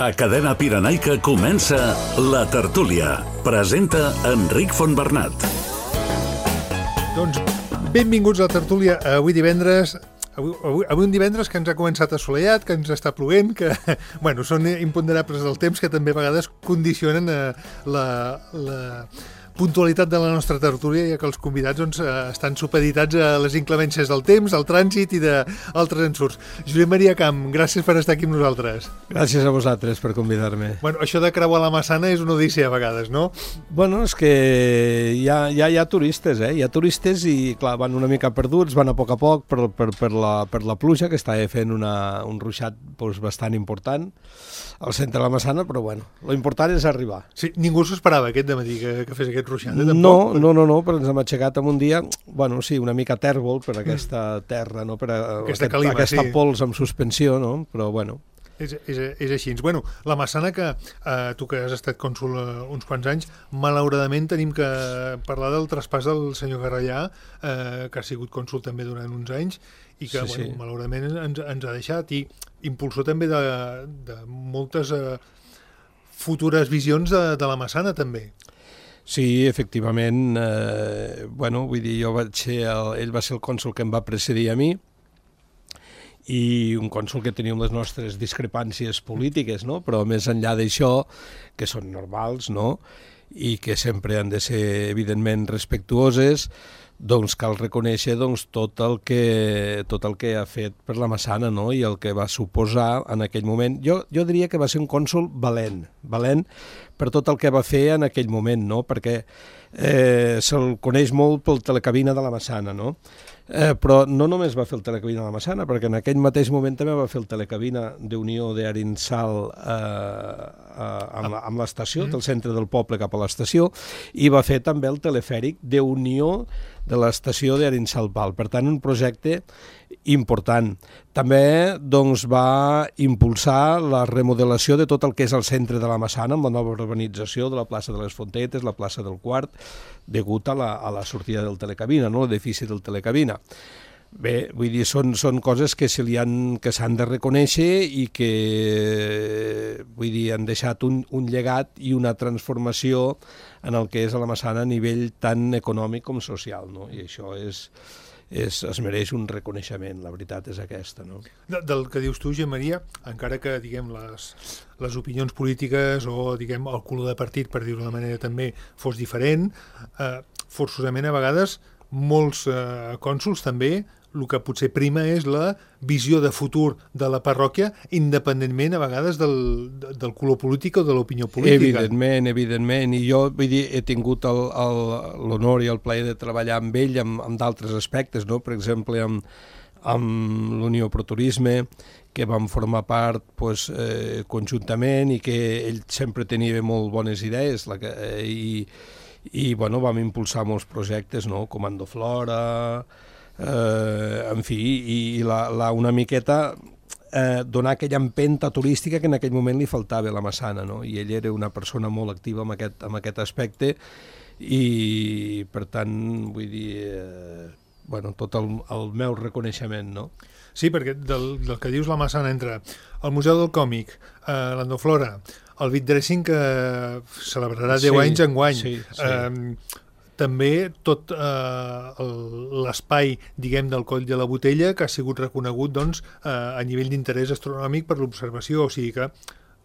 A Cadena Pirenaica comença La Tertúlia. Presenta Enric Fontbernat. Doncs benvinguts a La Tertúlia. Avui divendres... Avui un divendres que ens ha començat assolellat, que ens està plovent, que bueno, són imponderables del temps que també a vegades condicionen la puntualitat de la nostra tertúlia, ja que els convidats doncs, estan supeditats a les inclemències del temps, al trànsit i d'altres ensurts. Josep Maria Camp, gràcies per estar aquí amb nosaltres. Gràcies a vosaltres per convidar-me. Bueno, això de creuar la Massana és una odissea a vegades, no? Bueno, és que hi ha turistes, Hi ha turistes i, clar, van una mica perduts, van a poc per la pluja, que estava fent un ruixat doncs, bastant important al centre de la Massana, però bueno, l'important és arribar. Sí, ningú s'ho esperava aquest dematí que fes aquest ruixat, tampoc? No, però ens hem aixecat en un dia, bueno, sí, una mica tèrbol per aquesta terra, no? Per aquesta pols amb suspensió, no? Però bueno. És així. Bueno, la Massana, que tu que has estat cònsol uns quants anys, malauradament tenim que parlar del traspàs del senyor Garrellà, que ha sigut cònsol també durant uns anys, i que sí. Malauradament ens ha deixat, i impulsor també de moltes futures visions de la Massana també. Sí, efectivament, vull dir, ell va ser el cònsol que em va precedir a mi, i un cònsol que teníem les nostres discrepàncies polítiques, no? Però més enllà d'això, que són normals, no? I que sempre han de ser, evidentment, respectuoses, doncs cal reconèixer tot el que ha fet per la Massana, no? I el que va suposar en aquell moment. Jo diria que va ser un cònsol valent per tot el que va fer en aquell moment, no? Perquè se'l coneix molt pel telecabina de la Massana, no? Però no només va fer el telecabina de la Massana, perquè en aquell mateix moment també va fer el telecabina d'Unió d'Arinsal amb l'estació, del centre del poble cap a l'estació, i va fer també el telefèric d'Unió de l'estació d'Arinsal Val. Per tant, un projecte important. També doncs, va impulsar la remodelació de tot el que és el centre de la Massana, amb la nova urbanització de la plaça de les Fontetes, la plaça del Quart, degut a la sortida del telecabina, no? L'edifici del telecabina. Bé, vull dir, són coses que s'han de reconèixer i que, vull dir, han deixat un llegat i una transformació en el que és a la Massana a nivell tant econòmic com social, no? I això es mereix un reconeixement, la veritat és aquesta, no? Del que dius tu, Josep Maria, encara que, diguem, les opinions polítiques o, diguem, el color de partit, per dir-ho d'una manera també, fos diferent, forçosament a vegades molts cònsols també el que potser prima és la visió de futur de la parròquia, independentment a vegades del color polític o de l'opinió política. Evidentment, i jo vull dir, he tingut l'honor i el plaer de treballar amb ell amb d'altres aspectes, no? Per exemple, amb l'Unió Proturisme, que vam formar part conjuntament i que ell sempre tenia molt bones idees i vam impulsar molts projectes, no? Comando Flora, en fi, i una miqueta donar aquella empenta turística que en aquell moment li faltava a la Massana, no? I ell era una persona molt activa en aquest aspecte i, per tant, vull dir, tot el meu reconeixement, no? Sí, perquè del que dius la Massana entre el Museu del Còmic, l'Endoflora, el Beatdressing que celebrarà 10 anys enguany, també tot l'espai, diguem, del Coll de la Botella, que ha sigut reconegut doncs, a nivell d'interès astronòmic per l'observació. O sigui que,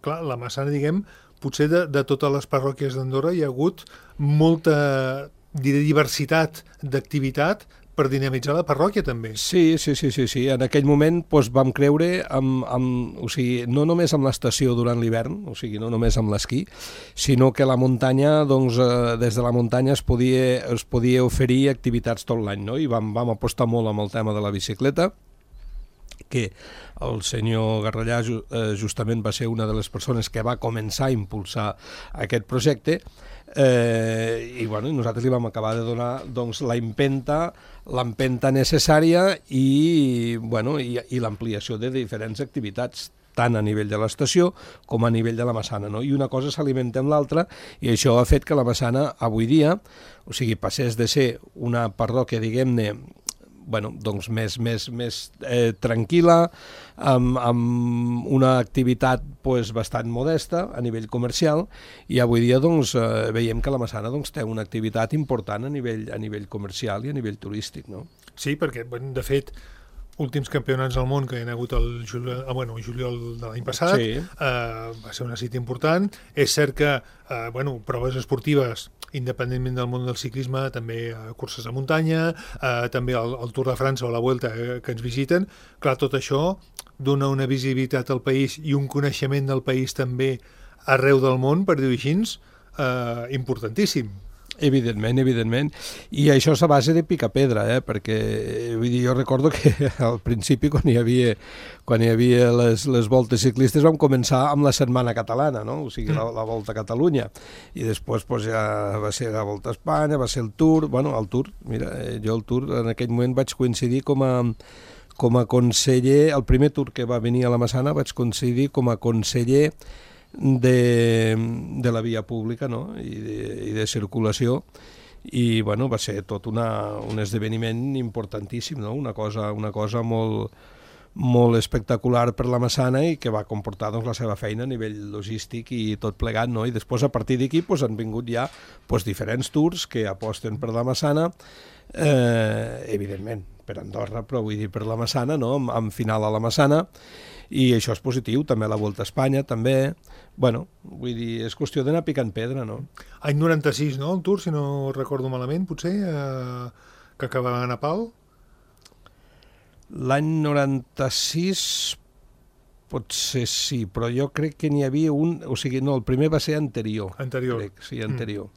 clar, la Massana, diguem, potser de totes les parròquies d'Andorra hi ha hagut molta diversitat d'activitat per dinamitzar la parròquia, també. Sí. En aquell moment vam creure, o sigui, no només amb l'estació durant l'hivern, o sigui, no només amb l'esquí, sinó que la muntanya, doncs, des de la muntanya es podia oferir activitats tot l'any, no? I vam apostar molt amb el tema de la bicicleta, que el senyor Garrellà justament va ser una de les persones que va començar a impulsar aquest projecte, i nosaltres li vam acabar de donar doncs, l'empenta necessària i l'ampliació de diferents activitats, tant a nivell de l'estació com a nivell de la Massana, no? I una cosa s'alimenta amb l'altra, i això ha fet que la Massana avui dia, o sigui, passés de ser una parròquia, diguem-ne, doncs més tranquil·la, amb una activitat bastant modesta a nivell comercial, i avui dia veiem que la Massana té una activitat important a nivell comercial i a nivell turístic, no? Sí, perquè, de fet, últims campionats del món que hi ha hagut el juliol de l'any passat, sí. Va ser una cita important. És cert que proves esportives, independentment del món del ciclisme, també curses de muntanya, també el Tour de França o la Vuelta que ens visiten. Clar, tot això dona una visibilitat al país i un coneixement del país també arreu del món, per dir-ho així, importantíssim. Evidentment. I això és a base de picar pedra, perquè jo recordo que al principi, quan hi havia les voltes ciclistes, vam començar amb la Setmana Catalana, no? O sigui, la Volta a Catalunya. I després ja va ser la Volta a Espanya, va ser el Tour. El Tour, mira, jo el Tour en aquell moment vaig coincidir com a conseller, el primer Tour que va venir a la Massana vaig coincidir com a conseller de la via pública, no? I de circulació, i va ser tot un esdeveniment importantíssim, no? Una cosa molt espectacular per la Massana i que va comportar la seva feina a nivell logístic i tot plegat, no? I després a partir d'aquí han vingut ja diferents tours que aposten per la Massana, evidentment per Andorra, però vull dir per la Massana, no? Amb final a la Massana, i això és positiu, també la Volta a Espanya, també. Vull dir, és qüestió d'anar picant pedra, no? Any 96, no, el Tour, si no recordo malament, potser, que acabava a Nepal? L'any 96 potser sí, però jo crec que n'hi havia un... O sigui, no, el primer va ser anterior. Crec, sí, anterior.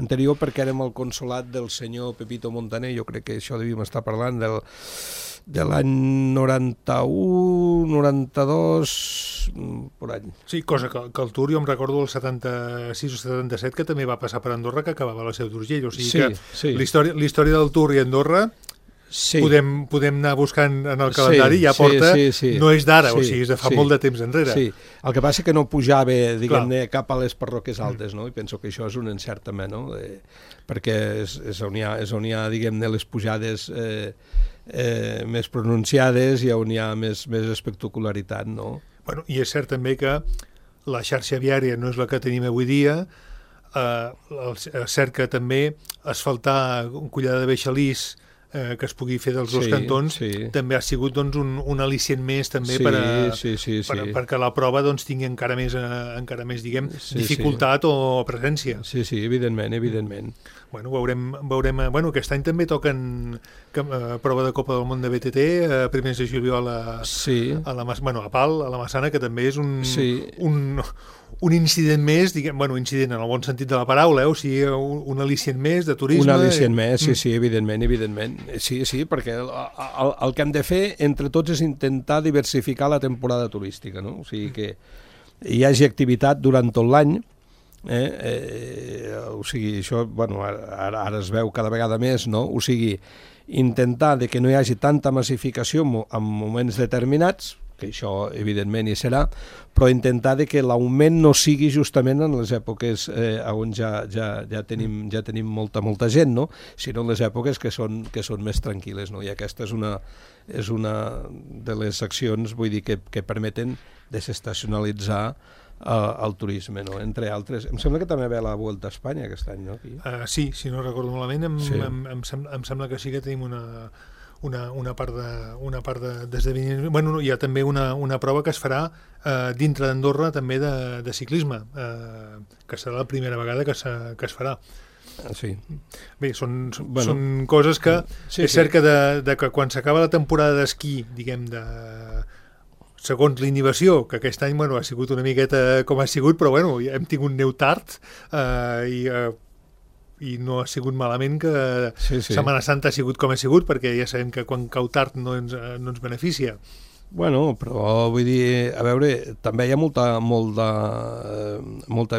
Anterior perquè érem el consolat del senyor Pepito Montaner, jo crec que això devíem estar parlant de l'any 91, 92, per any. Sí, cosa que el Tour, jo em recordo el 76 o 77, que també va passar per Andorra, que acabava la Seu d'Urgell. O sigui que la història del Tour i Andorra podem anar buscant en el calendari, ja porta, no és d'ara, o sigui, és de fa molt de temps enrere. Sí, el que passa que no pujava, diguem-ne, cap a les parròquies altes, no? I penso que això és un encert també, no? Perquè és on hi ha, diguem-ne, les pujades més pronunciades i on hi ha més espectacularitat, no? Bueno, i és cert també que la xarxa viària no és la que tenim avui dia, és cert que també asfaltar un Collada de Beixalís que es pugui fer dels dos cantons també ha sigut un al·licient més també perquè la prova tingui encara més diguem, dificultat o presència. Sí, evidentment. Bueno, veurem, aquest any també toquen prova de Copa del Món de BTT, primers de juliol a Pal, a la Massana, que també és un incident més, incident en el bon sentit de la paraula, o sigui, un al·licient més de turisme. Un al·licient més, sí, evidentment. Sí, perquè el que hem de fer entre tots és intentar diversificar la temporada turística, no? O sigui, que hi hagi activitat durant tot l'any, o sigui, això, ara es veu cada vegada més, no? O sigui, intentar que no hi hagi tanta massificació en moments determinats, que això evidentment hi serà, però intentar que l'augment no sigui justament en les èpoques on ja tenim molta gent, no? Sinó en les èpoques que són més tranquil·les, no? I aquesta és una de les accions, vull dir, que permeten desestacionalitzar el turisme, no? Entre altres. Em sembla que també ve la Vuelta a Espanya aquest any, no? Sí, si no recordo malament, em sembla que sí que tenim una part d'esdeveniment. Bueno, hi ha també una prova que es farà dintre d'Andorra també de ciclisme, que serà la primera vegada que es farà. Sí. Bé, són coses que és cert que quan s'acaba la temporada d'esquí, diguem, segons l'inhibició, que aquest any ha sigut una miqueta com ha sigut, però hem tingut neu tard i no ha sigut malament que Setmana Santa ha sigut com ha sigut, perquè ja sabem que quan cau tard no ens beneficia. Bueno, però vull dir, a veure, també hi ha molta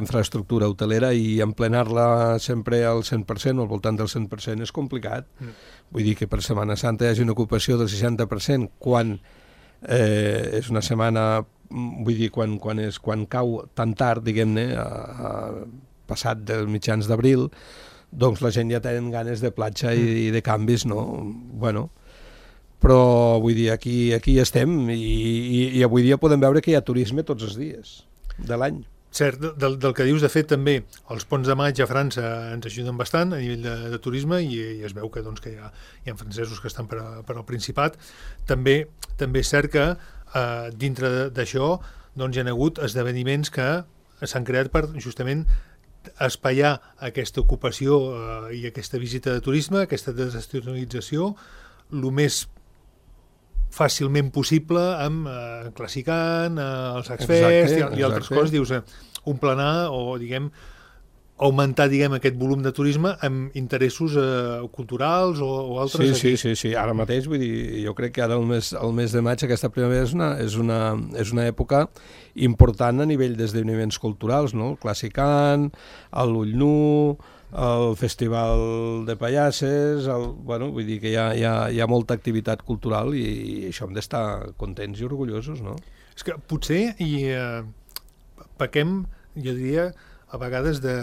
infraestructura hotelera i emplenar-la sempre al 100% o al voltant del 100% és complicat. Vull dir que per Setmana Santa hi hagi una ocupació del 60% quan és una setmana, vull dir, quan cau tan tard, diguem-ne, passat dels mitjans d'abril, doncs la gent ja tenen ganes de platja i de canvis, no? Bueno, Però, vull dir, aquí estem i avui dia podem veure que hi ha turisme tots els dies de l'any. Cert, del que dius, de fet, també els ponts de maig a França ens ajuden bastant a nivell de turisme i es veu que, doncs, que hi ha francesos que estan per al Principat. També és cert que dintre d'això doncs, hi ha hagut esdeveniments que s'han creat per justament espaiar aquesta ocupació i aquesta visita de turisme, aquesta desestacionalització, el més fàcilment possible amb Classicant, els Axfest i altres coses, dius, un planar o, diguem, augmentar, diguem, aquest volum de turisme amb interessos culturals o altres. Sí. Ara mateix, vull dir, jo crec que ara el mes de maig, aquesta primavera, és una època important a nivell d'esdeveniments culturals, no? El Classicant, l'Ull Nu, el Festival de Pallasses, vull dir que hi ha molta activitat cultural i això hem d'estar contents i orgullosos, no? És que potser pequem, jo diria, a vegades de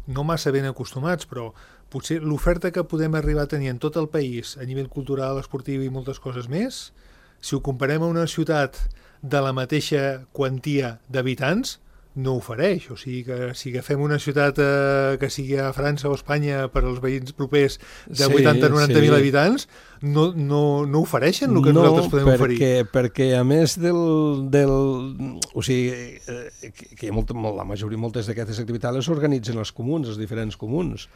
no massa ben acostumats, però potser l'oferta que podem arribar a tenir en tot el país a nivell cultural, esportiu i moltes coses més, si ho comparem a una ciutat de la mateixa quantia d'habitants, no ofereix. O sigui que si agafem una ciutat que sigui a França o Espanya per als veïns propers de 80-90.000 habitants, no ofereixen el que nosaltres podem oferir. Perquè a més o sigui, que moltes d'aquestes activitats les organitzen els comuns, els diferents comuns,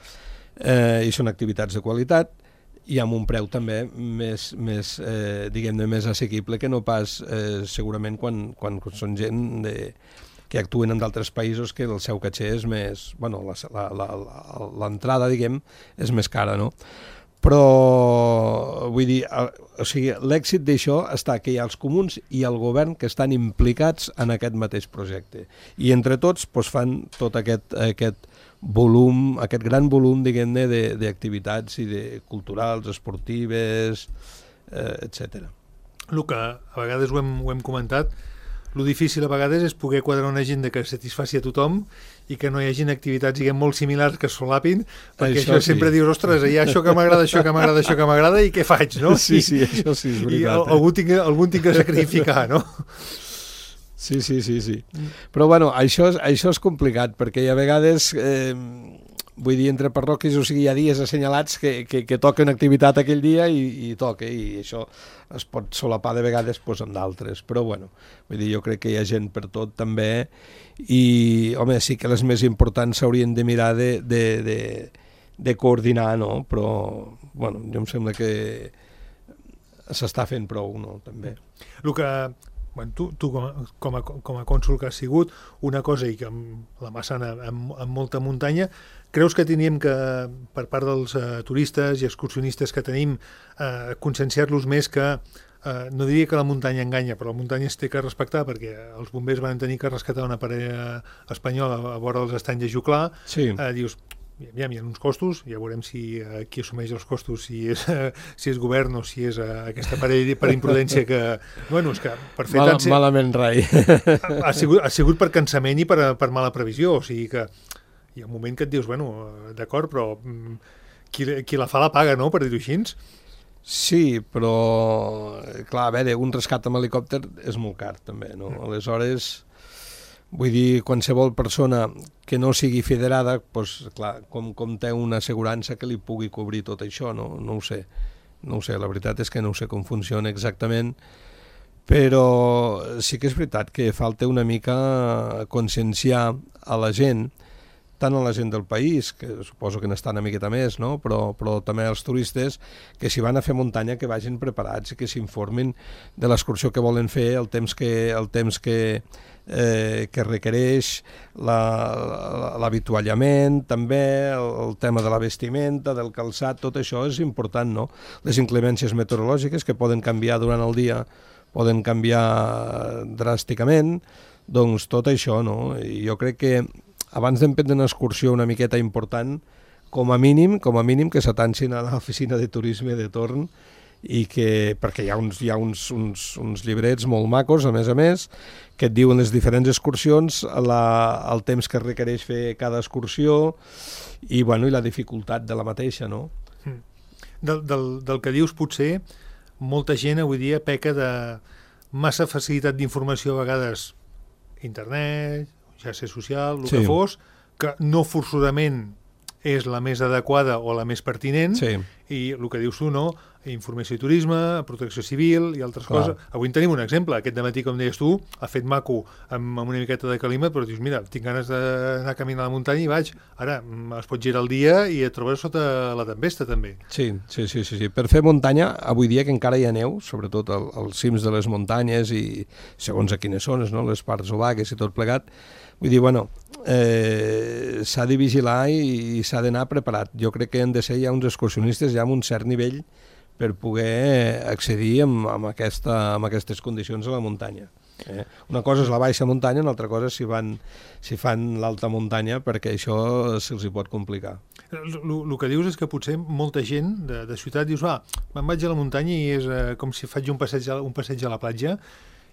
i són activitats de qualitat, i amb un preu també més diguem-ne, més assequible que no pas segurament quan són gent que actuen en d'altres països que el seu caché és més... Bueno, l'entrada, diguem, és més cara, no? Però, vull dir, o sigui, l'èxit d'això està que hi ha els comuns i el govern que estan implicats en aquest mateix projecte. I entre tots doncs, fan tot aquest volum, aquest gran volum, diguem-ne, d'activitats culturals, esportives, etc. El que a vegades ho hem comentat, lo difícil a vegades és poder quadrar una agenda que satisfaci a tothom i que no hi hagin activitats, diguem, molt similars que es solapin, perquè això sempre dius, ostres, hi ha això que m'agrada, això que m'agrada, això que m'agrada, i què faig, no? Sí, això sí, és veritat. I algú tinc que sacrificar, no? Sí. Però, bueno, això és complicat, perquè a vegades... vull dir, entre parròquies, o sigui, hi ha dies assenyalats que toquen activitat aquell dia i toca, i això es pot solapar de vegades amb d'altres, però bueno, vull dir, jo crec que hi ha gent per tot també, i home, sí que les més importants s'haurien de mirar de coordinar, no? Però, bueno, jo em sembla que s'està fent prou, no? També. El que... Bueno, tu com a cònsol que has sigut, una cosa, i que amb la Massana amb molta muntanya, creus que teníem que, per part dels turistes i excursionistes que tenim, conscienciar-los més que, no diria que la muntanya enganya, però la muntanya es té que respectar, perquè els bombers van tenir que rescatar una parella espanyola a vora dels estanys de Juclà, dius... Hi ha uns costos, ja veurem si qui assumeix els costos, si és govern o si és aquesta parella per imprudència que... Bueno, és que per fer... Malament rai. Ha sigut per cansament i per mala previsió, o sigui que hi ha un moment que et dius, bueno, d'acord, però qui la fa la paga, no?, per dir-ho així. Sí, però, clar, a veure, un rescat amb helicòpter és molt car, també, no? Aleshores... Vull dir, qualsevol persona que no sigui federada, doncs, clar, com té una assegurança que li pugui cobrir tot això, no ho sé, la veritat és que no sé com funciona exactament, però sí que és veritat que falta una mica conscienciar a la gent, tant a la gent del país, que suposo que n'estan una miqueta més, no? però també als turistes, que si van a fer muntanya que vagin preparats i que s'informin de l'excursió que volen fer, el temps que requereix, l'avituallament, també el tema de la vestimenta, del calçat, tot això és important, no? Les inclemències meteorològiques que poden canviar durant el dia, poden canviar dràsticament, doncs tot això, no? I jo crec que abans d'emprendre una excursió una miqueta important, com a mínim que s'atancin a l'oficina de turisme de torn, i que, perquè hi ha uns llibrets molt macos, a més, que et diuen les diferents excursions, el temps que requereix fer cada excursió i la dificultat de la mateixa, no? Del que dius, potser, molta gent avui dia peca de massa facilitat d'informació, a vegades internet, xarxa social, el que fos, que no forçosament és la més adequada o la més pertinent, i el que dius tu, no? Informació i turisme, protecció civil i altres coses. Avui en tenim un exemple. Aquest dematí, com deies tu, ha fet maco amb una miqueta de calima, però dius, mira, tinc ganes d'anar a caminar a la muntanya i vaig. Ara, es pot girar el dia i et trobes sota la tempesta, també. Sí. Per fer muntanya, avui dia que encara hi ha neu, sobretot als cims de les muntanyes i segons a quines zones, no? Les parts obagues i tot plegat, vull dir, bueno, s'ha de vigilar i s'ha d'anar preparat. Jo crec que han de ser ja uns excursionistes ja amb un cert nivell per poder accedir amb aquestes condicions a la muntanya. Una cosa és la baixa muntanya, una altra cosa és si fan l'alta muntanya, perquè això se'ls hi pot complicar. El que dius és que potser molta gent de ciutat dius, me'n vaig a la muntanya i és com si faig un passeig a la platja,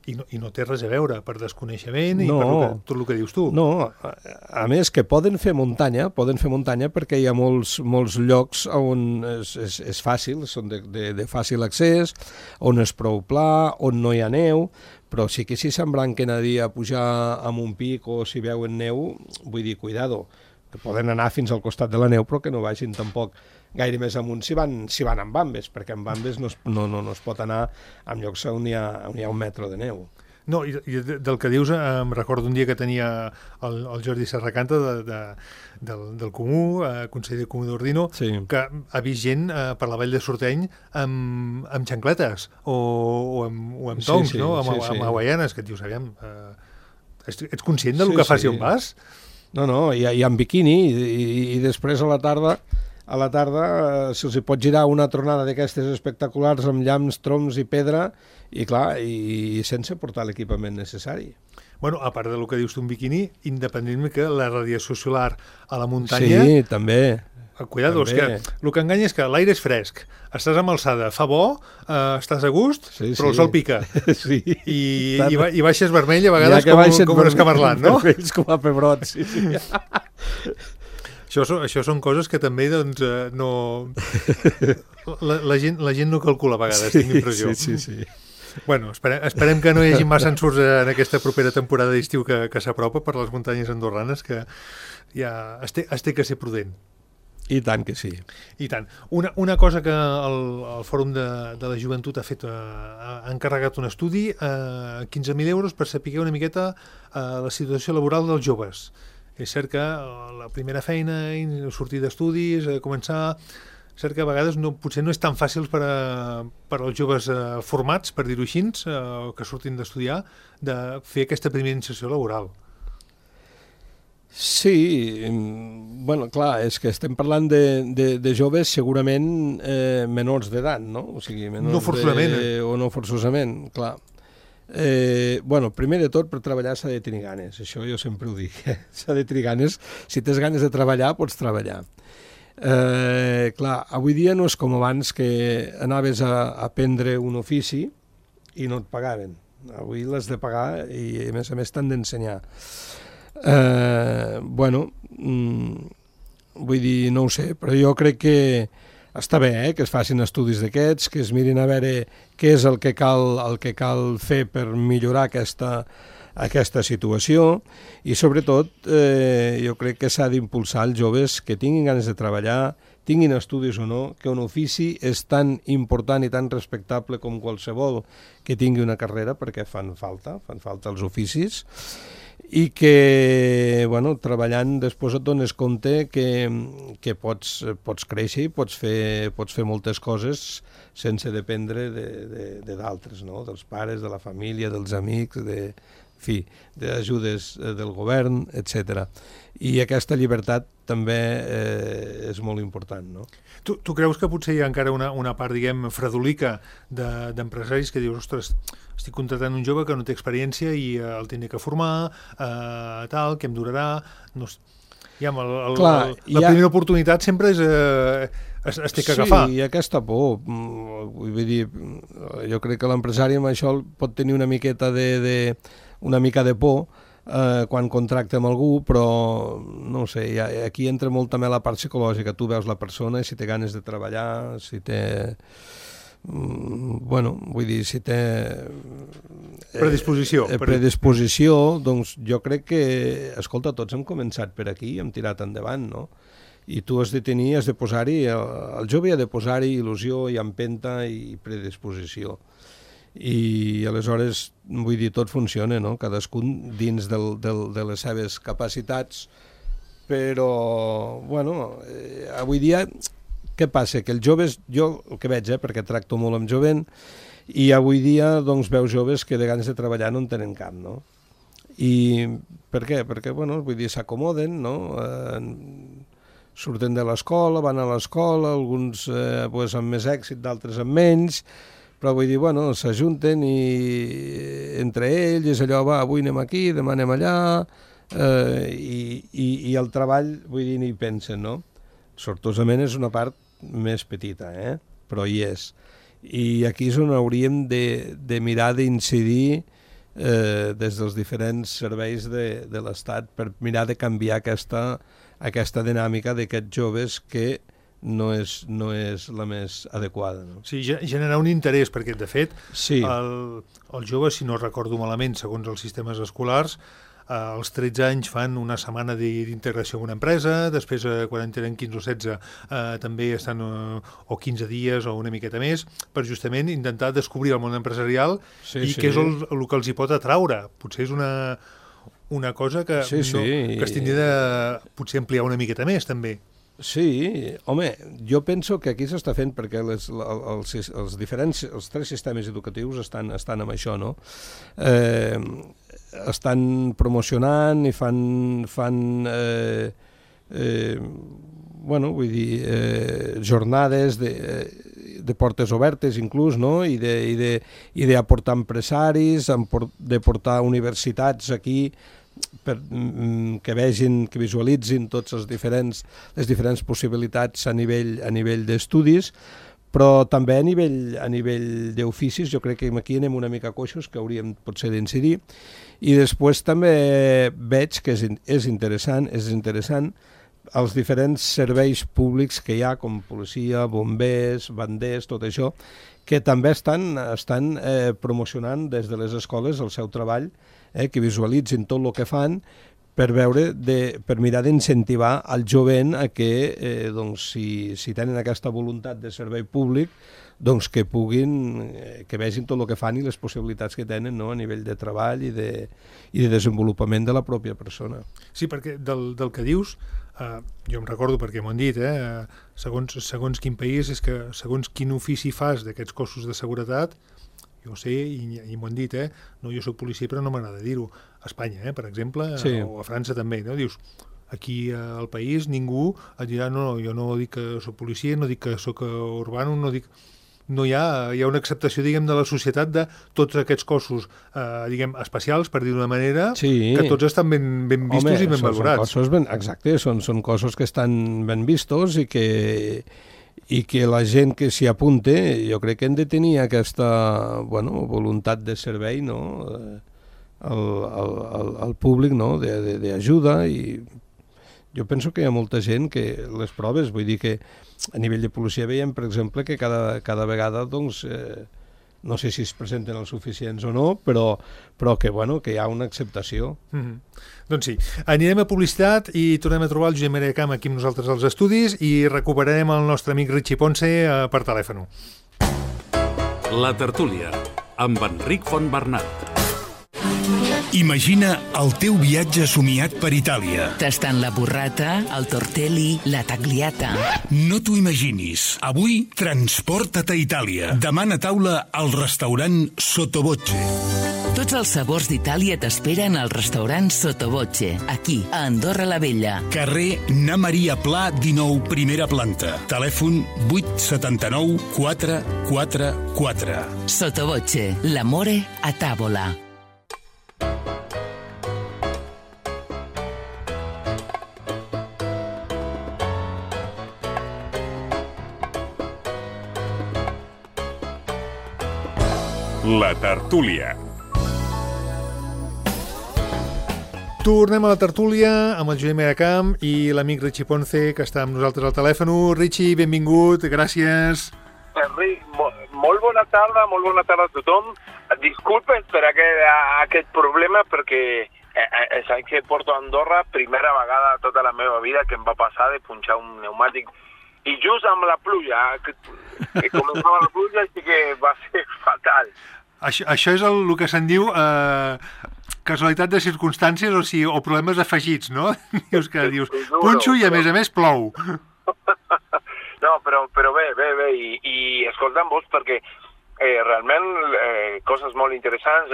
i no té res a veure per desconeixement i per tot el que dius tu. No, a més que poden fer muntanya perquè hi ha molts llocs on és fàcil, són de fàcil accés, on és prou pla, on no hi ha neu, però sí que si s'embranquen a dir a pujar amb un pic o si veuen neu, vull dir, cuidado, que poden anar fins al costat de la neu però que no vagin tampoc gaire més amunt si van amb bambes, perquè amb bambes no es pot anar a llocs on hi ha 1 metre de neu. No, i del que dius em recordo un dia que tenia el Jordi Serracanta del Comú, conseller Comú d'Ordino, que ha vist gent per la Vall de Sorteny amb xancletes o amb tongs, no? Amb hawaianes, que et dius, aviam, ets conscient del que fas i on vas? No, i amb biquini, i després a la tarda se'ls pot girar una tronada d'aquestes espectaculars amb llamps, troncs i pedra, i clar, i sense portar l'equipament necessari. Bueno, a part del que dius tu, un biquini, independentment que la radiació solar a la muntanya... Sí, també. Cuidado, és que el que enganya és que l'aire és fresc, estàs amb alçada, fa bo, estàs a gust, però el sol pica. Sí. I baixes vermell a vegades com un escamarlant, no? Vermells com a pebrot, sí. Això són coses que també, doncs, no... La gent no calcula a vegades, tinc l'impressió. Sí. Bueno, esperem que no hi hagi massa ensurts en aquesta propera temporada d'estiu que s'apropa per les muntanyes andorranes, que ja es té que ser prudent. I tant que sí. I tant. Una cosa que el Fòrum de la Joventut ha fet, ha encarregat un estudi, 15.000 euros per saber una miqueta la situació laboral dels joves. És cert que la primera feina, sortir d'estudis, començar... És cert que a vegades potser no és tan fàcil per als joves formats, per dir-ho així, que surtin d'estudiar, de fer aquesta primera inserció laboral. Sí, bueno, clar, és que estem parlant de joves segurament menors d'edat, no? O sigui, menors no forçosament. O no forçosament, clar. Bueno, primer de tot, per treballar s'ha de tenir ganes, això jo sempre ho dic, s'ha de tenir ganes, si tens ganes de treballar, pots treballar. Clar, avui dia no és com abans que anaves a aprendre un ofici i no et pagaven. Avui l'has de pagar i a més t'han d'ensenyar. Bueno, vull dir, no ho sé, però jo crec que està bé, que es facin estudis d'aquests, que es mirin a veure què és el que cal fer per millorar aquesta situació i sobretot jo crec que s'ha d'impulsar els joves que tinguin ganes de treballar, tinguin estudis o no, que un ofici és tan important i tan respectable com qualsevol que tingui una carrera, perquè fan falta els oficis, i que, bueno, treballant després et dones compte que pots créixer i pots fer moltes coses sense dependre de d'altres, no? Dels pares, de la família, dels amics, d'ajudes del govern, etc. I aquesta llibertat també és molt important, no? Tu creus que potser hi ha encara una part, diguem, fredolica d'empresaris que dius, ostres, estic contratant un jove que no té experiència i el tindré que formar, tal, que em durarà... La primera oportunitat sempre es té que agafar. Sí, i aquesta por. Vull dir, jo crec que l'empresari amb això pot tenir una mica de por quan contracta amb algú, però no sé, aquí entra molt també la part psicològica. Tu veus la persona i si té ganes de treballar, si té... bueno, vull dir, si té predisposició, doncs jo crec que, escolta, tots hem començat per aquí i hem tirat endavant, no? I tu has de tenir, has de posar-hi, el jove ha de posar-hi il·lusió i empenta i predisposició. I aleshores, vull dir, tot funciona, no? Cadascun dins de les seves capacitats, però, bueno, avui dia, què passa? Que els joves, jo el que veig, perquè tracto molt amb jovent, i avui dia, doncs, veus joves que de ganes de treballar no en tenen cap, no? I per què? Perquè, bueno, vull dir, s'acomoden, no? Surten de l'escola, van a l'escola, alguns pues, amb més èxit, d'altres amb menys, però vull dir, bueno, s'ajunten i entre ells és allò, va, avui anem aquí, demà anem allà, i el treball, vull dir, ni hi pensen, no? Sortosament és una part més petita, però hi és. I aquí és on hauríem de mirar d'incidir des dels diferents serveis de l'Estat per mirar de canviar aquesta dinàmica d'aquests joves que no és la més adequada. No? Sí, generar un interès, perquè de fet sí. el jove, si no recordo malament, segons els sistemes escolars, als 13 anys fan una setmana d'integració en una empresa, després quan en tenen 15 o 16 també estan o 15 dies o una miqueta més, per justament intentar descobrir el món empresarial i què és el que els hi pot atraure. Potser és una cosa que, que es tindria de potser ampliar una miqueta més, també. Sí, home, jo penso que aquí s'està fent perquè els tres sistemes educatius estan amb això, no? Estan promocionant i fan bueno, vull dir, jornades de portes obertes inclús, no? I d'aportar empresaris, de portar universitats aquí que vegin, que visualitzin tots les diferents possibilitats a nivell d'estudis, però també a nivell d'oficis. Jo crec que aquí anem una mica coixos, que hauríem potser d'incidir. I després també veig que és interessant els diferents serveis públics que hi ha, com policia, bombers, banders, tot això, que també estan promocionant des de les escoles el seu treball, que visualitzin tot el que fan per mirar d'incentivar el jovent a que, doncs, si tenen aquesta voluntat de servei públic, doncs que vegin tot el que fan i les possibilitats que tenen, no?, a nivell de treball i de desenvolupament de la pròpia persona. Sí, perquè del que dius, jo em recordo perquè m'ho han dit, segons quin país, és que segons quin ofici fas d'aquests cossos de seguretat, jo ho sé i m'ho han dit, no, jo soc policia però no m'agrada dir-ho, a Espanya, per exemple, sí. O a França també, no? Dius, aquí al país ningú et dirà, no, jo no dic que soc policia, no dic que soc urbano, no hi ha una acceptació, diguem, de la societat de tots aquests cossos, diguem, especials, per dir d'una manera, sí. Que tots estan ben vistos i ben valorats. Exacte, són cossos que estan ben vistos i que la gent que s'hi apunte, jo crec que hem de tenir aquesta voluntat de servei, no?, al públic, no?, d'ajuda. I jo penso que hi ha molta gent que les proves, vull dir que a nivell de policia veiem, per exemple, que cada vegada, doncs, no sé si es presenten els suficients o no, però que hi ha una acceptació. Doncs sí, anirem a publicitat i tornem a trobar el Josep Maria Camp aquí amb nosaltres als estudis i recuperarem el nostre amic Richie Ponce per telèfon. La tertúlia, amb Enric Fontbernat. Imagina el teu viatge somiat per Itàlia. Tastant la burrata, el tortelli, la tagliata. No t'ho imaginis. Avui, transporta't a Itàlia. Demana taula al restaurant Sottovoce. Tots els sabors d'Itàlia t'esperen al restaurant Sottovoce, aquí, a Andorra la Vella. Carrer Na Maria Pla, 19, primera planta. Telèfon 879 444. Sottovoce, l'amore a tavola. La tertúlia. Tornem a la tertúlia amb el Josep Maria Camp i l'amic Richie Ponce, que està amb nosaltres al telèfon. Richie, benvingut, gràcies. Enric, molt bona tarda a tothom. Disculpes per aquest problema perquè saps que porto a Andorra, primera vegada de tota la meva vida que em va passar de punxar un pneumàtic i just amb la pluja, que començava la pluja, així que va ser fatal. Això és el que se'n diu casualitat de circumstàncies o problemes afegits, no? Dius, punxo i a més plou. No, però bé, i escolta'm vos perquè realment coses molt interessants,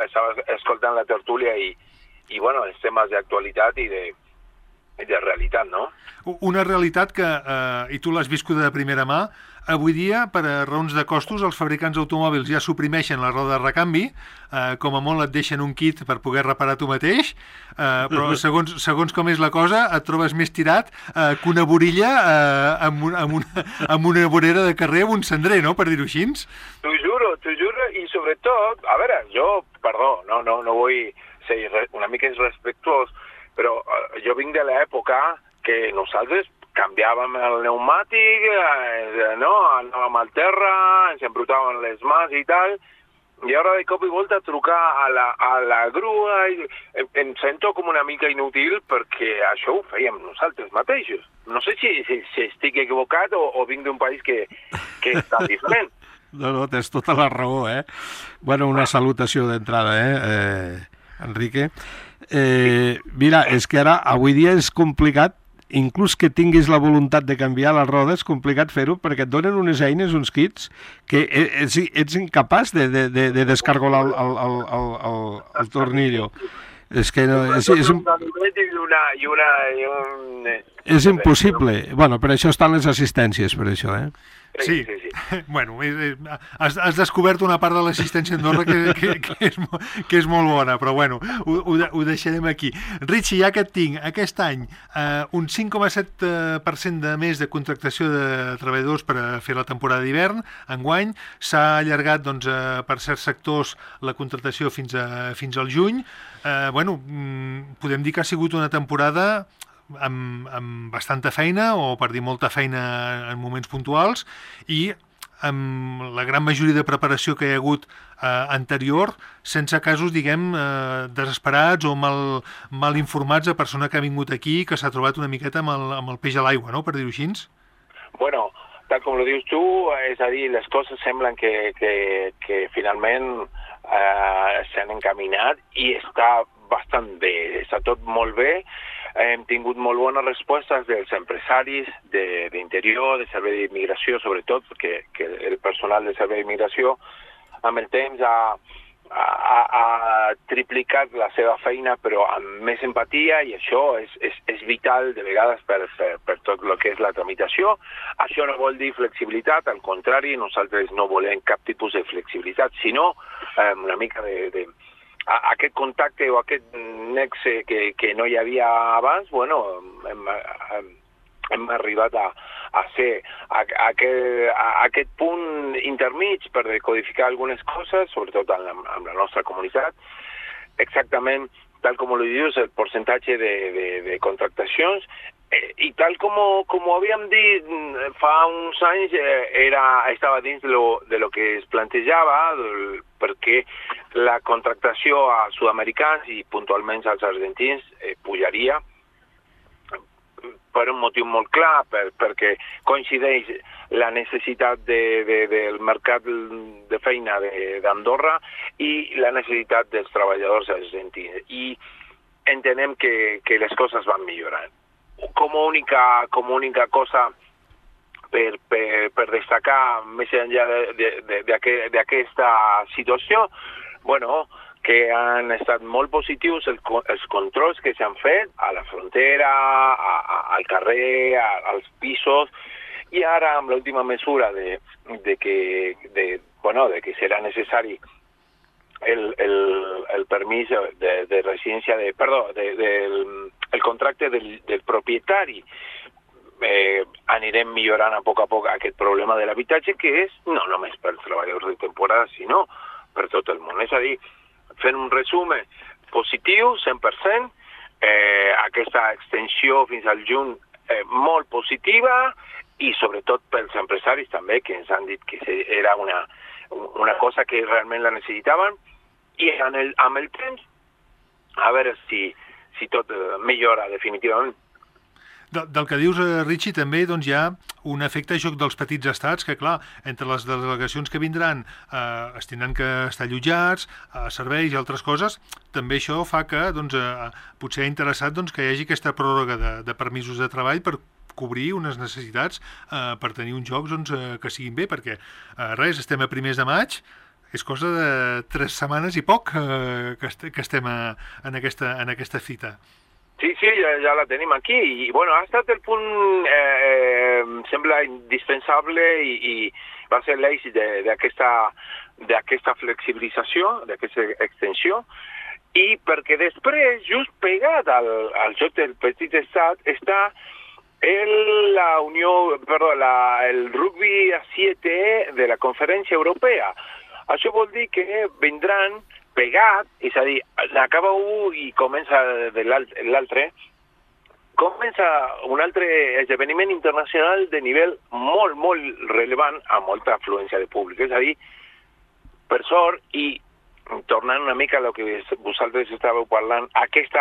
estava escoltant la tertúlia i bueno, els temes d'actualitat i de realitat, no? Una realitat que, i tu l'has viscuda de primera mà, avui dia, per a raons de costos, els fabricants d'automòbils ja suprimeixen la roda de recanvi, com a molt et deixen un kit per poder reparar tu mateix, però segons com és la cosa, et trobes més tirat que una borilla amb una vorera de carrer amb un cendrer, no?, per dir-ho així. T'ho juro, i sobretot, a veure, jo, perdó, no vull ser una mica irrespectuós, però jo vinc de l'època que nosaltres canviàvem el pneumàtic, anàvem al terra, ens embrutaven les mans i tal, i ara de cop i volta trucar a la grua, em sento com una mica inútil perquè això ho fèiem nosaltres mateixos. No sé si estic equivocat o vinc d'un país que està diferent. No, tens tota la raó, eh? Bueno, una salutació d'entrada, Enrique. Mira, és que ara, avui dia és complicat, inclús que tinguis la voluntat de canviar la roda, és complicat fer-ho perquè et donen unes eines, uns kits, que ets incapaç de descargolar el tornillo. És que no... És impossible. Bueno, per això estan les assistències, per això, Sí. Bueno, has descobert una part de l'assistència a Andorra que és molt bona, però bueno, ho deixarem aquí. Richie, ja que et tinc, aquest any un 5,7% de més de contractació de treballadors per a fer la temporada d'hivern, enguany s'ha allargat doncs, per certs sectors la contractació fins al juny. Bueno, podem dir que ha sigut una temporada amb bastanta feina, o per dir molta feina en moments puntuals, i amb la gran majoria de preparació que hi ha hagut anterior, sense casos, diguem, desesperats o mal informats de persona que ha vingut aquí i que s'ha trobat una miqueta amb el peix a l'aigua, no?, per dir-ho així. Bueno, tal com ho dius tu, és a dir, les coses semblen que finalment s'han encaminat i està bastant bé, està tot molt bé. Hem tingut molt bones respostes dels empresaris d'interior, de servei d'immigració, sobretot, perquè el personal de servei d'immigració amb el temps ha triplicat la seva feina, però amb més empatia, i això és vital de vegades per tot el que és la tramitació. Això no vol dir flexibilitat, al contrari, nosaltres no volem cap tipus de flexibilitat, sinó una mica de aquest contacte o aquest nexe que no hi havia abans, bueno, hem arribat a ser aquest punt intermig per decodificar algunes coses, sobretot amb la nostra comunitat. Exactament, tal com ho dius, el percentatge de contractacions, i tal com ho havíem dit fa uns anys, estava dins de lo que es plantejava, perquè la contractació a sud-americans i puntualment als argentins pujaria per un motiu molt clar, perquè coincideix la necessitat del mercat de feina d'Andorra i la necessitat dels treballadors argentins. I entenem que les coses van millorant. Com a única cosa per destacar més enllà d'aquesta situació, bueno, que han estat molt positius els controls que s'han fet a la frontera, al carrer, als pisos, i ara amb l'última mesura de que serà necessari el permís de residència, el contracte del propietari, anirem millorant a poc aquest problema de l'habitatge, que és no només per treballadors de temporada, sinó per tot el món. És a dir, fent un resum positiu, 100%, aquesta extensió fins al juny molt positiva, i sobretot pels empresaris empresaris també que ens han dit que era una cosa que realment la necessitaven, i amb el temps a veure si tot millora definitivament. Del que dius, Richie, també doncs, hi ha un efecte joc dels petits estats que, clar, entre les delegacions que vindran es tindran que estar allotjats, serveis i altres coses, també això fa que doncs, potser ha interessat doncs, que hi hagi aquesta pròrroga de permisos de treball per cobrir unes necessitats per tenir uns jocs doncs, que siguin bé, perquè estem a primers de maig, és cosa de 3 setmanes i poc que estem en aquesta fita. Sí, ja la tenim aquí, i bueno, ha estat el punt, sembla indispensable, i va ser l'èxit d'aquesta flexibilització, d'aquesta extensió, i perquè després, just pegat al joc del petit estat, està el rugby a 7 de la Conferència Europea. Això vol dir que vindran pegat, és a dir, acaba un i comença de l'altre, comença un altre esdeveniment internacional de nivell molt, molt rellevant, amb molta afluència de públic. És a dir, per sort, i tornant una mica a el que vosaltres estàveu parlant, aquest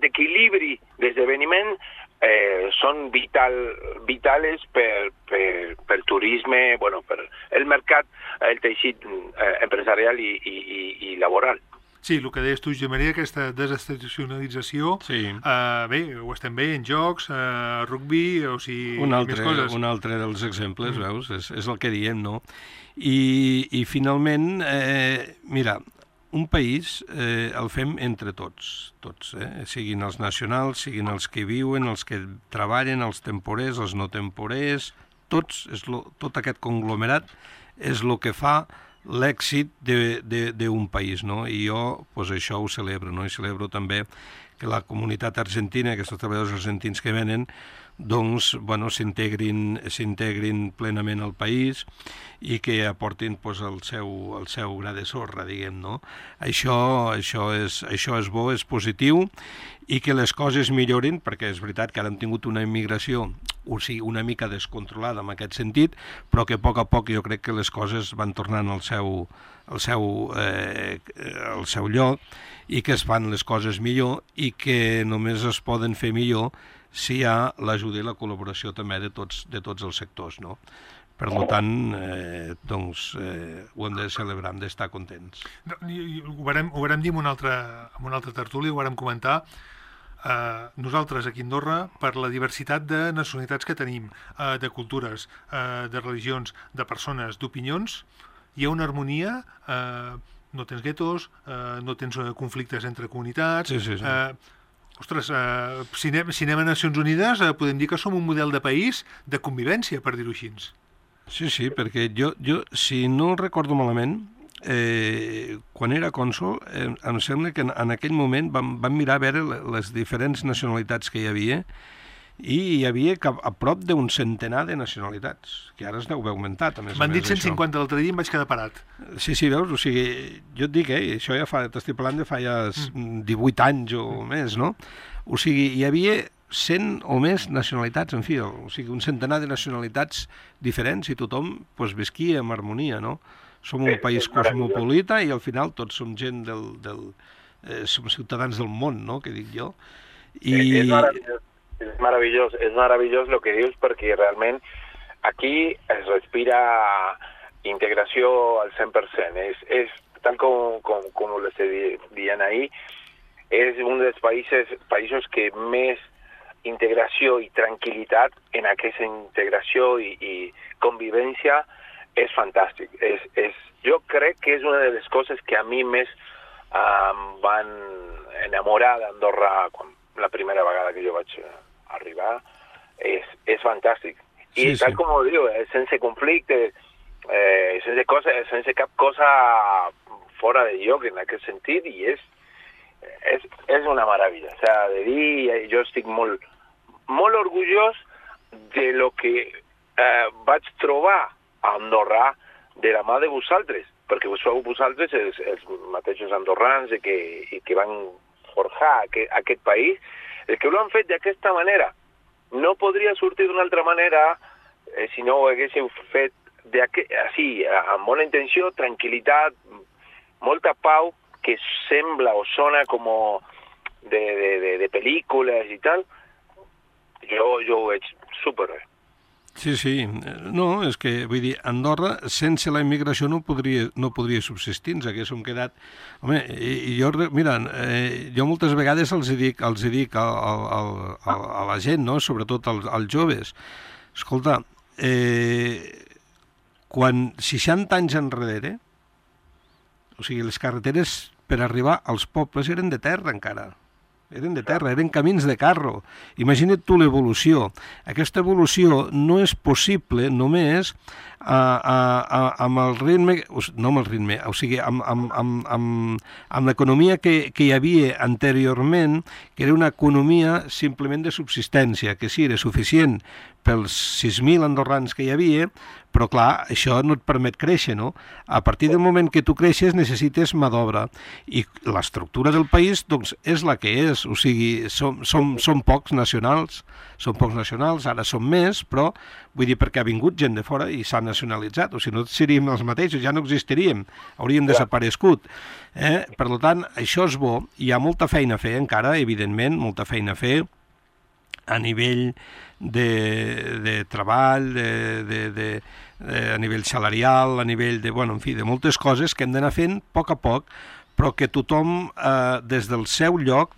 equilibri d'esdeveniment són vitales per turisme, bueno, per el mercat, el teixit empresarial i laboral. Sí, el que deies tu, Josep Maria, aquesta desestacionalització, sí. Bé, ho estem veient, jocs, rugby, o sigui, més coses. Un altre dels exemples, veus? És el que diem, no? I finalment, mira, un país el fem entre tots, siguin els nacionals, siguin els que viuen, els que treballen, els temporers, els no temporers, tots, tot aquest conglomerat és el que fa l'èxit d'un país, no? I jo, pues, això ho celebro, no? I celebro també que la comunitat argentina, aquests treballadors argentins que venen, doncs, bueno, s'integrin plenament al país i que aportin pues, el seu gra de sorra, diguem, no? Això és bo, és positiu, i que les coses millorin, perquè és veritat que ara hem tingut una immigració, o sigui, una mica descontrolada en aquest sentit, però que a poc jo crec que les coses van tornant al seu lloc, i que es fan les coses millor, i que només es poden fer millor si hi ha l'ajuda i la col·laboració també de tots els sectors, no? Per tant, ho hem de celebrar, hem d'estar contents. Ho vàrem dir en una altra tertúlia, ho vàrem comentar. Nosaltres aquí a Andorra, per la diversitat de nacionalitats que tenim, de cultures, de religions, de persones, d'opinions, hi ha una harmonia, no tens guetos, no tens conflictes entre comunitats. Sí. Ostres, si anem a Nacions Unides podem dir que som un model de país de convivència, per dir-ho així. Sí, perquè jo si no recordo malament, quan era cònsol, em sembla que en aquell moment vam mirar a veure les diferents nacionalitats que hi havia, i hi havia a prop d'un centenar de nacionalitats, que ara es deu haver augmentat, a més a més. M'han dit 150 l'altre dia i em vaig quedar parat. Sí, veus? O sigui, jo et dic, això ja t'estic parlant de fa ja 18 anys o més, no? O sigui, hi havia 100 o més nacionalitats, en fi, o sigui, un centenar de nacionalitats diferents, i tothom pues, visquia amb harmonia, no? Som un país cosmopolita i al final tots som gent som ciutadans del món, no?, que dic jo. És meravellós el que dius, perquè realment aquí es respira integració al 100%. És tal com ho estic dient ahir, és un dels països que més integració i tranquil·litat en aquesta integració i convivència és fantàstic. Jo crec que és una de les coses que a mi més van enamorar d'Andorra la primera vegada que jo vaig arribar. És fantàstic. I tal com ho diu, sense conflicte, sense cap cosa fora de lloc en aquest sentit, i és una meravella. O sigui, de dir, jo estic molt orgullós de lo que vaig trobar a Andorra de la mà de vosaltres, perquè sou vosaltres els mateixos andorrans que van forjar aquest país, el que ho han fet d'aquesta manera, no podria sortir d'una altra manera si no ho haguéssiu fet així, amb bona intenció, tranquil·litat, molta pau, que sembla o sona com de pel·lícules i tal. Jo ho veig superbé. Sí. No, és que, vull dir, Andorra, sense la immigració no podria subsistir, ens haguéssim quedat... Home, jo moltes vegades els dic a la gent, no?, sobretot als joves, escolta, quan 60 anys enrere, o sigui, les carreteres per arribar als pobles eren de terra encara, eren camins de carro. Imagina't tu l'evolució. Aquesta evolució no és possible només amb el ritme, no amb el ritme, o sigui, amb l'economia que hi havia anteriorment, que era una economia simplement de subsistència, que sí, era suficient pels 6.000 andorrans que hi havia, però clar, això no et permet créixer, no? A partir del moment que tu creixes necessites mà d'obra, i l'estructura del país doncs és la que és, o sigui, som pocs nacionals, ara som més, però vull dir perquè ha vingut gent de fora i s'ha nacionalitzat, o sigui, no seríem els mateixos, ja no existiríem, hauríem desaparegut. Per tant, això és bo, hi ha molta feina a fer encara, evidentment, molta feina a fer, a nivell de treball, a nivell salarial, a nivell de, en fi, de moltes coses que hem d'anar fent a poc, però que tothom, des del seu lloc,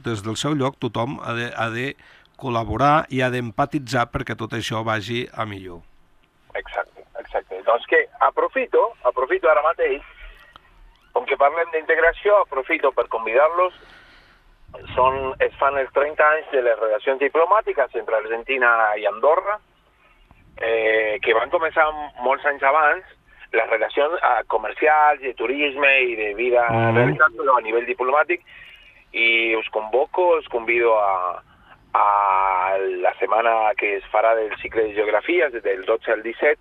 tothom ha de col·laborar i ha d'empatitzar perquè tot això vagi a millor. Exacte. Doncs que aprofito ara mateix, com que parlem d'integració, aprofito per convidar-los. Es fan els 30 anys de les relacions diplomàtiques entre Argentina i Andorra, que van començar molts anys abans, les relacions comercials, de turisme i de vida realitat, però a nivell diplomàtic, i us convido a la setmana que es farà del cicle de geografies, del 12 al 17,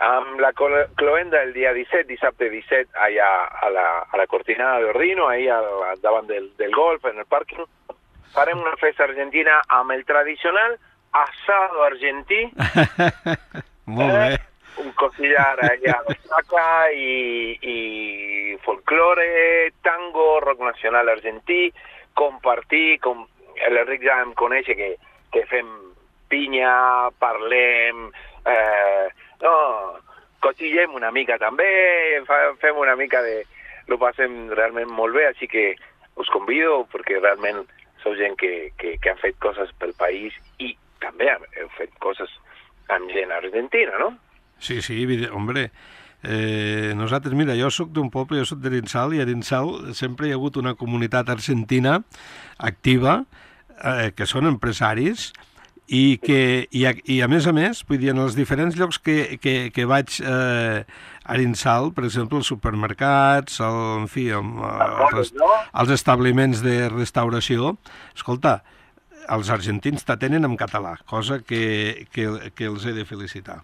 amb la cloenda el dia 17, dissabte 17, allà a la Cortina de Ordino, allà davant del golf, en el pàrquing. Farem una festa argentina amb el tradicional asado argentí. Molt bé. Un cosillar allà saca i folklore, tango, rock nacional argentí, compartir, l'Enric ja em coneix que fem pinya, parlem... cotillem una mica també, fem una mica lo passem realment molt bé, així que us convido perquè realment sou gent que ha fet coses pel país i també heu fet coses amb gent argentina, no? Sí, hombre, nosaltres, mira, jo soc d'un poble, jo soc d'Arinsal, i a Arinsal sempre hi ha hagut una comunitat argentina activa, que són empresaris, i a més, vull dir, en els diferents llocs que vaig a Arinsal, per exemple, els supermercats, els establiments de restauració, escolta, els argentins t'atenen en català, cosa que els he de felicitar.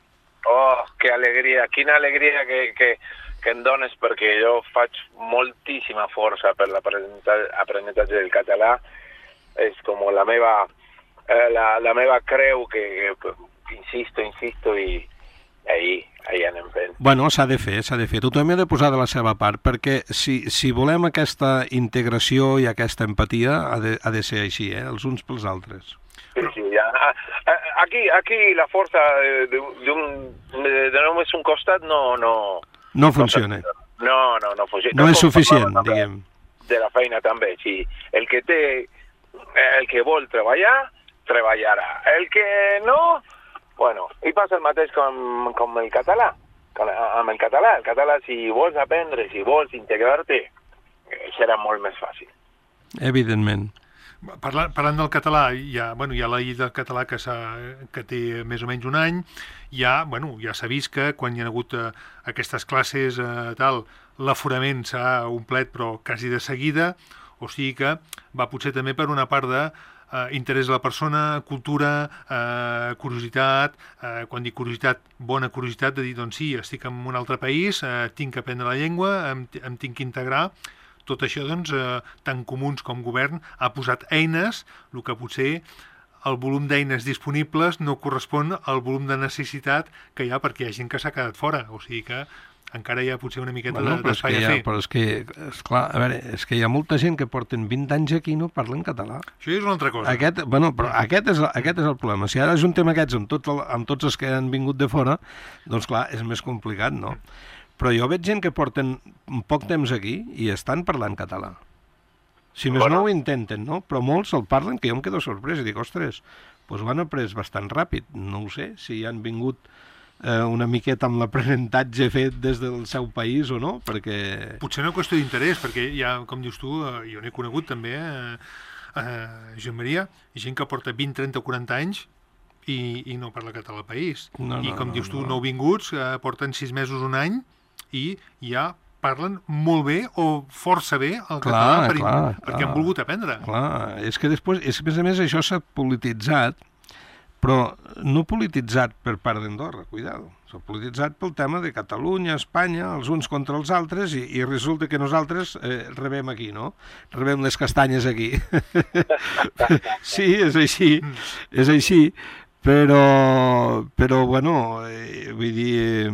Oh, que alegria, quina alegria que em dones, perquè jo faig moltíssima força per l'aprenentatge del català, és com la meva creu que insisto i ahí anem fent. Bueno, s'ha de fer. Tothom ha de posar de la seva part, perquè si volem aquesta integració i aquesta empatia ha de ser així, els uns pels altres. Sí, ja. Aquí la força de només un costat no funciona. No funciona. No és suficient, diguem. De la feina també, sí. El que vol treballar, treballarà. El que no, bueno, i passa el mateix com el català. Amb el català, si vols aprendre, si vols integrar-te, serà molt més fàcil. Evidentment. Parlant del català, hi ha la llei del català que té més o menys un any, ja s'ha vist que quan hi ha hagut aquestes classes, l'aforament s'ha omplert, però quasi de seguida, o sigui que va potser també per una part de interès de la persona, cultura, curiositat, quan dic curiositat, bona curiositat, de dir, doncs sí, estic en un altre país, tinc que aprendre la llengua, em tinc que integrar. Tot això, doncs, tant comuns com govern, ha posat eines, el que potser el volum d'eines disponibles no correspon al volum de necessitat que hi ha perquè hi ha gent que s'ha quedat fora. O sigui que encara hi ha potser una miqueta d'espai a fer. Però és que, esclar, a veure, és que hi ha molta gent que porten 20 anys aquí i no parlen català. Això és una altra cosa. Però aquest és el problema. Si ara ajuntem aquests amb tots els que han vingut de fora, doncs clar, és més complicat, no? Però jo veig gent que porten poc temps aquí i estan parlant català. Si més no ho intenten, no? Però molts el parlen, que jo em quedo sorprès i dic, ostres, doncs ho han après bastant ràpid. No ho sé, si han vingut una miqueta amb l'aprenentatge fet des del seu país o no, perquè... Potser una qüestió d'interès, perquè ja, com dius tu, jo n'he conegut també, Joan Maria, gent que porta 20, 30 o 40 anys i no parla català al país. I com dius tu, nouvinguts, porten 6 mesos, un any, i ja parlen molt bé o força bé el català perquè han volgut aprendre. Clar, és que després, a més això s'ha polititzat, però no polititzat per part d'Andorra, cuidado. S'ha polititzat pel tema de Catalunya, Espanya, els uns contra els altres, i resulta que nosaltres rebem aquí, no? Rebem les castanyes aquí. Sí, és així. Però bueno, vull dir,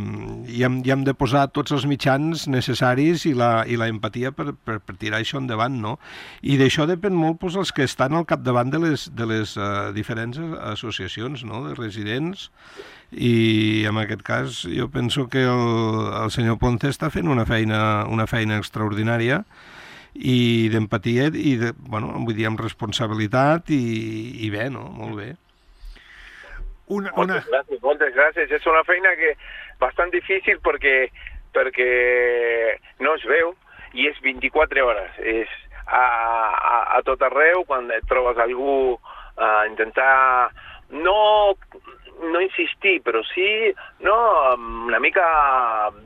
hi hem de posar tots els mitjans necessaris i la empatia per tirar això endavant, no? I d'això depèn molt doncs, els que estan al capdavant de les diferents associacions, no?, de residents, i en aquest cas jo penso que el senyor Ponce està fent una feina extraordinària i d'empatia i vull dir, amb responsabilitat i bé, no?, molt bé. Moltes gràcies. És una feina que bastant difícil perquè no es veu i és 24 hores. És a tot arreu, quan et trobes algú a intentar no insistir, però sí una mica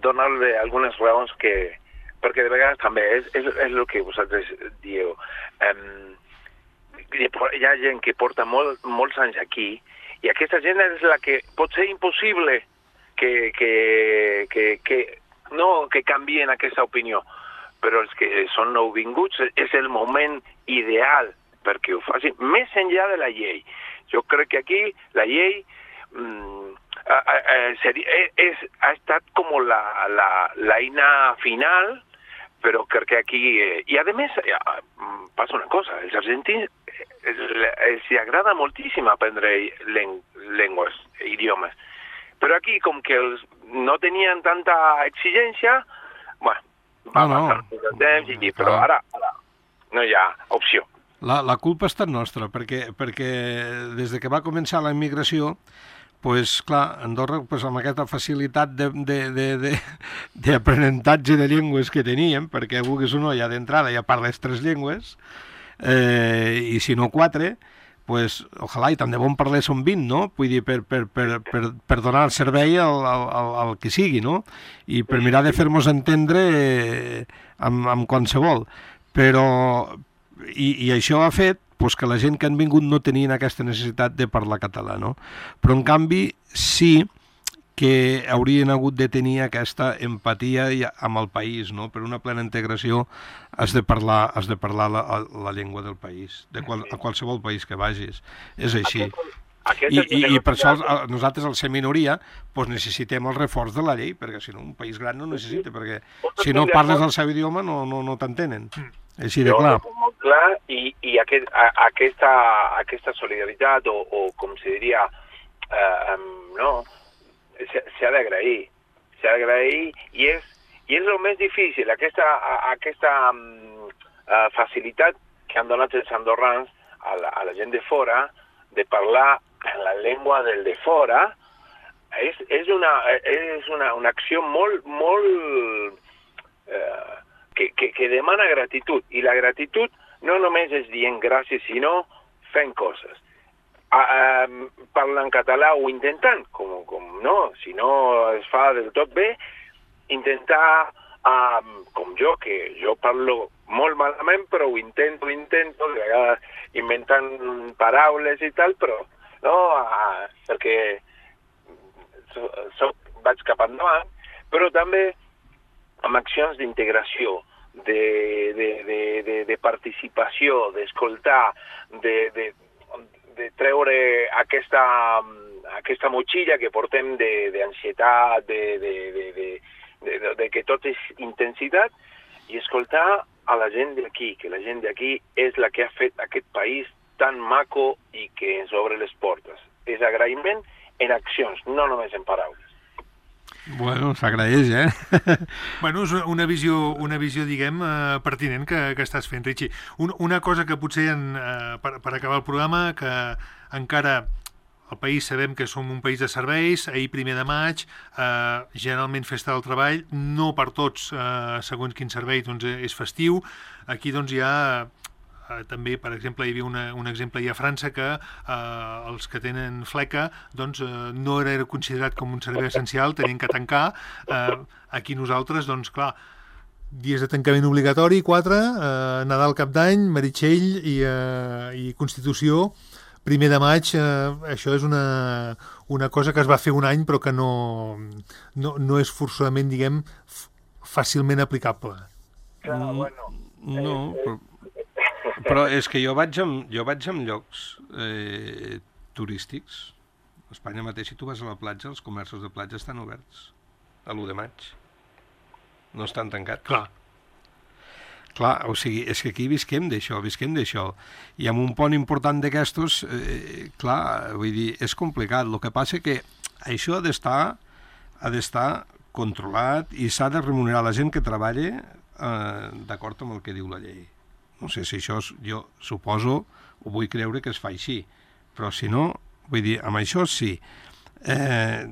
donar-li algunes raons perquè de vegades també és el que vosaltres dieu. Hi ha gent que porta molts anys aquí i aquesta gent és la que pot ser impossible que canvien aquesta opinió. Però els que són nouvinguts és el moment ideal perquè ho facin, més enllà de la llei. Jo crec que aquí la llei ha estat com l'eina final, però crec que aquí... I a més, passa una cosa, els argentins els agrada moltíssim aprendre llengües, idiomes. Però aquí, com que no tenien tanta exigència, va passar el temps, però ara no hi ha opció. La culpa ha estat nostra, perquè des de que va començar la immigració, pues, clar, Andorra, pues, amb aquesta facilitat d'aprenentatge de llengües que teníem, perquè vulguis o no, ja d'entrada ja parles 3 llengües, i si no 4, pues, ojalà, i tant de bon parler són 20, no? Vull dir, per donar el servei al que sigui, no? I per mirar de fer-nos entendre amb qualsevol. Però, i això ha fet pues, que la gent que han vingut no tenien aquesta necessitat de parlar català, no? Però, en canvi, sí que haurien hagut de tenir aquesta empatia amb el país, no? Per una plena integració has de parlar la llengua del país, a qualsevol país que vagis. És així. I per això nosaltres, al ser minoria, doncs necessitem el reforç de la llei, perquè si no, un país gran no necessita, perquè si no parles el seu idioma no t'entenen. Així de clar. Molt clar, i aquesta solidaritat, o com se diria, s'ha d'agrair. S'ha d'agrair i és el més difícil, aquesta facilitat que han donat els andorrans a la gent de fora de parlar en la llengua del de fora és una acció molt que demana gratitud, i la gratitud no només és dient gràcies, sinó fent coses. Parlant català o intentant, si no es fa del tot bé, intentar, com que jo parlo molt malament, però ho intento, de vegades inventant paraules i tal, però perquè vaig cap endavant, però també amb accions d'integració, de participació, d'escoltar, de treure aquesta motxilla que portem d'ansietat, de que tot és intensitat, i escoltar a la gent d'aquí, que la gent d'aquí és la que ha fet aquest país tan maco i que ens obre les portes. És agraïment en accions, no només en paraules. Bueno, s'agraeix, Bueno, és una visió diguem, pertinent que estàs fent, Richie. Una cosa que potser, per acabar el programa, que encara al país sabem que som un país de serveis, ahir 1 de maig, generalment festa del treball, no per tots, segons quin servei, doncs és festiu. Aquí doncs hi ha... també, per exemple, hi havia un exemple a França que els que tenen fleca doncs, no era considerat com un servei essencial, tenien que tancar. Aquí nosaltres, doncs clar, dies de tancament obligatori, 4, Nadal, Cap d'Any, Meritxell i Constitució, 1 de maig, això és una cosa que es va fer un any però que no és forçosament, diguem, fàcilment aplicable. No, però és que jo vaig en llocs turístics. A Espanya mateix, si tu vas a la platja, els comerços de platja estan oberts a l'1 de maig. No estan tancats. Clar, o sigui, és que aquí visquem d'això. I amb un pont important d'aquestos, clar, vull dir, és complicat. El que passa que això ha d'estar controlat i s'ha de remunerar la gent que treballa d'acord amb el que diu la llei. No sé si això, jo suposo, ho vull creure que es fa així, però si no, vull dir, amb això sí.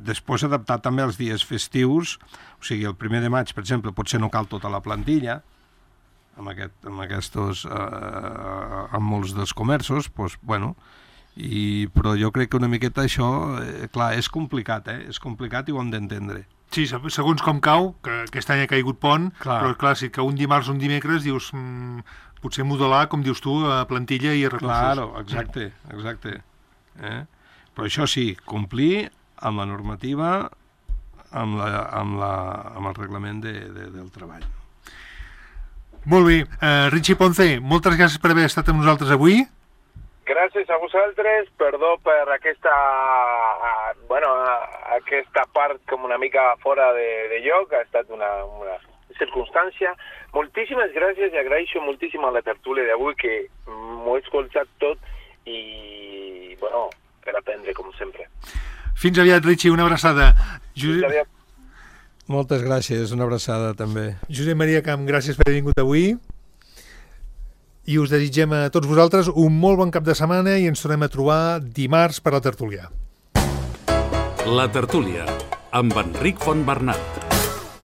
Després adaptar també els dies festius, o sigui, el 1 de maig, per exemple, potser no cal tota la plantilla, amb molts dels comerços, doncs, bueno, però jo crec que una miqueta això, clar, és complicat i ho hem d'entendre. Sí, segons com cau, que aquest any ha caigut pont, però clar, si cau un dimarts o un dimecres, dius, potser modelar, com dius tu, a plantilla i a recursos. Claro, exacte. Però això sí, complir amb la normativa, amb el reglament del treball. Molt bé. Richie Ponce, moltes gràcies per haver estat amb nosaltres avui. Gràcies a vosaltres, perdó per aquesta part com una mica fora de lloc, ha estat una circumstància. Moltíssimes gràcies i agraeixo moltíssim a la tertúlia d'avui, que m'ho he escoltat tot i, per aprendre, com sempre. Fins aviat, Richie, una abraçada. Fins aviat. Moltes gràcies, una abraçada també. Josep Maria Camp, gràcies per haver vingut avui. I us desitgem a tots vosaltres un molt bon cap de setmana i ens tornem a trobar dimarts per la tertúlia. La tertúlia, amb Enric Fontbernat.